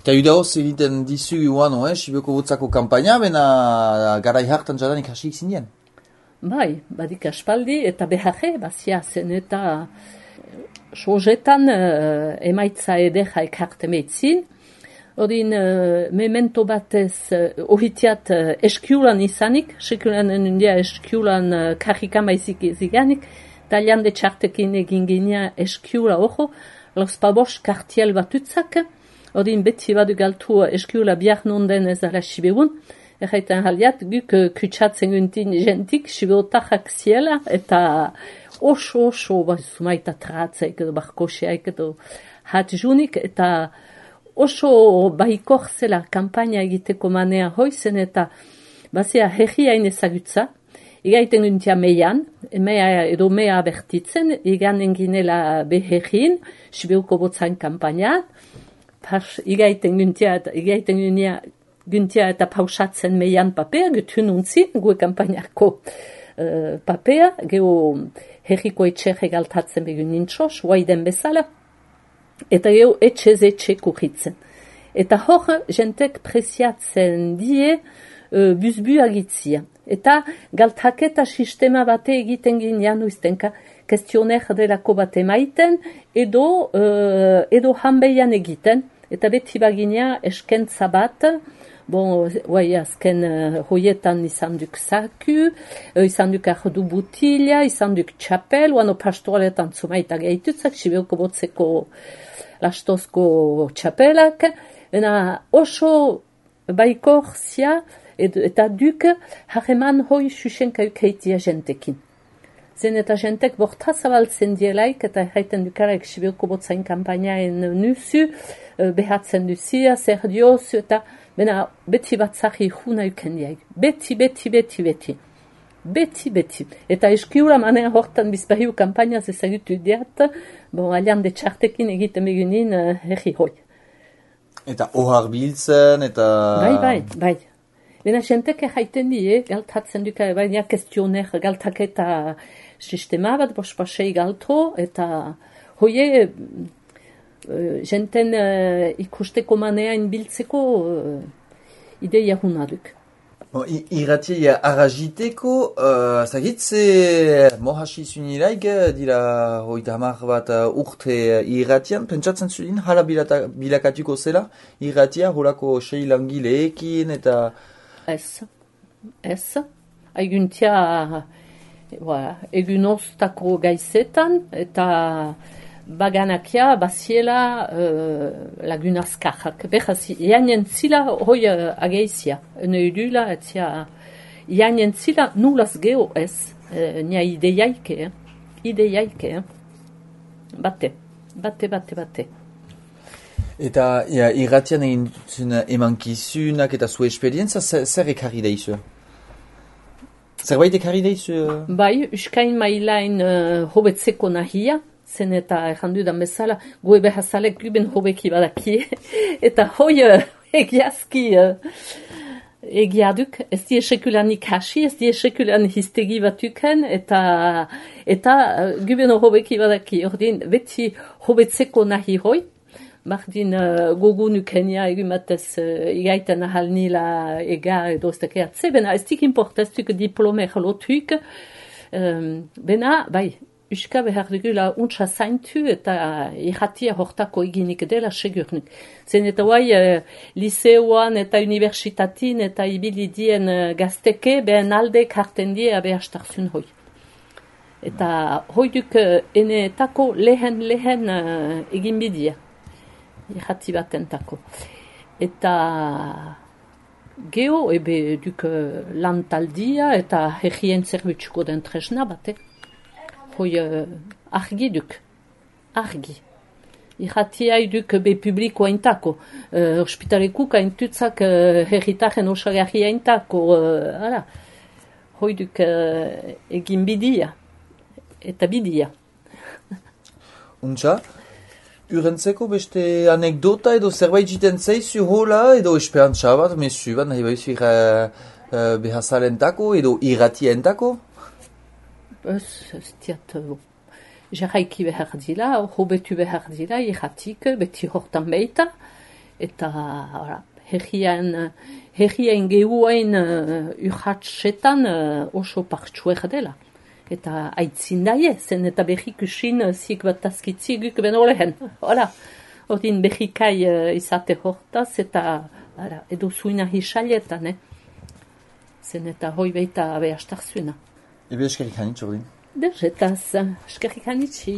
Eta judeoz egiten dizu guan, Sibioko botzako kampaina, bena garai hartan jadanik hasik zinen? Bai, badik aspaldi, eta beharre, bazia zen eta sojetan emaitza edera ekarte meitzin. Odin, memento batez ohitiat eskiulan izanik, sekulan enundia eskiulan karrika maizik ziganik, talian de txartekin egin ginean eskiula ojo, los pabos kartiel batutzak, odin beti badu galtu eskiula biar nonden ez ala sibeun, erraiten haliat, guk kutsatzen guntin jentik, sibeotarrak ziela, eta oso, zumaita tratzaik edo barkoseaik edo hatjunik, eta oso baikor zela kampaina egiteko manea hoizen eta bazia herriain ezagutza, igaiten guntia meian, mea bertitzen, iganen ginela beherrin, Sibeuko botzan kampaina, igaiten guntia eta pausatzen meian papea, gutun untzin, gue kampainako papea, geho herriko etxerre galtatzen begun nintxos, waiden bezala, eta geho etxe kurritzen. Eta hor, jentek presiatzen die buzbu agitzia. Eta galtaketa sistema bate egiten ginean uiztenka, kestioner delako bate maiten, edo hanbeian egiten, eta beti baginea eskentza bat, azken hoietan izan duk zaku, izan duk ardu butila, izan duk txapel, oano pastoretan zumaita gehitutzak, Sibeuko botzeko lastozko txapelak, oso baikor zia, eta duk harreman hoi susenkauk heitia jentekin. Zen eta jentek borta zabaltzen dielaik, eta erraiten dukarak Sibeuko botzain kampainaen nuzu, behatzen duzia, zer diozu, eta beti batzari juna uken diaik. Beti. Eta eskiura manea hortan bizpahiu kampainaz ezagutu diat, alian de txartekin egiten begunin herri hoi. Eta ohar biltzen, eta... Bai. Bena jentek erraiten die, galtatzen duka, baina kestioner galtaketa sistema bat, bospasei galto, eta hoie jenten ikusteko maneain biltzeko ideia hunaduk. Irratia arragiteko, zagitze mohasi zunilaik, dira hoita hamar bat urte irratian, pentsatzen zuen, hala bilakatuko zela, irratia holako sei langileekin, eta... Ez. Aiguntia egunoztako gaizetan, eta baganakia baziela lagunazkajak. Beraz, ianen zila hoi ageizia. Neudula, etzia ianen zila nulaz geho ez. Nia ideiaike. Bate. Eta irratian egin emankizunak eta zu esperientza, zer ekarri daizu? Zerbait ekarri daizu? Bai, uskain mailain hobetzeko nahia, zen eta errandudan bezala, goe behazalek guben hobeki badakie, eta hoi egiazki egiaduk, ez die sekulan ikasi, ez die sekulan histegi batuken, eta guben hobeki badaki, ordin beti hobetzeko nahi hoi, Bardin gogo nukenia egumatez igaiten ahal nila ega edo estekeatze, bena ez dik importeztuk diplome jalotuk, bena, bai, uska behar dugula untsa zaintu eta irratia hortako eginik dela segurnik. Zen eta guai liceoan eta universitatin eta ibilidien gazteke behen alde karten die abe hastarzun hoi. Eta hoi duk enetako lehen egin bidia. Irrati batentako. Eta geho, ebe duk lantaldia eta herrien zerbitzuko den tresna bate. Hoi argi duk. Argi. Irratia duk be publiko aintako. Hospitalekuk aintutzak herritaren osagarri aintako. Hoi duk egin bidia. Eta bidia. Untsa? Urentzeko beste anekdota edo zerbait jiten zeizu hola edo esperantza bat, mesu bat, nahi baizu behazalentako edo irratientako? Ez diat, jarraiki behar dila, hobetu behar dila, irratik, beti hortan beita, eta herrien gehuain urratsetan oso partxuek dela. Eta aitzin daie, zen eta behikusin zik bat azkitziguk beno lehen. Hola, ordin behikai izate hortaz eta edo zuina hisaletan, zen eta hoi beita behastak zuena. Ebe eskerrik hanitz ordin? Derzetaz, eskerrik hanitzi.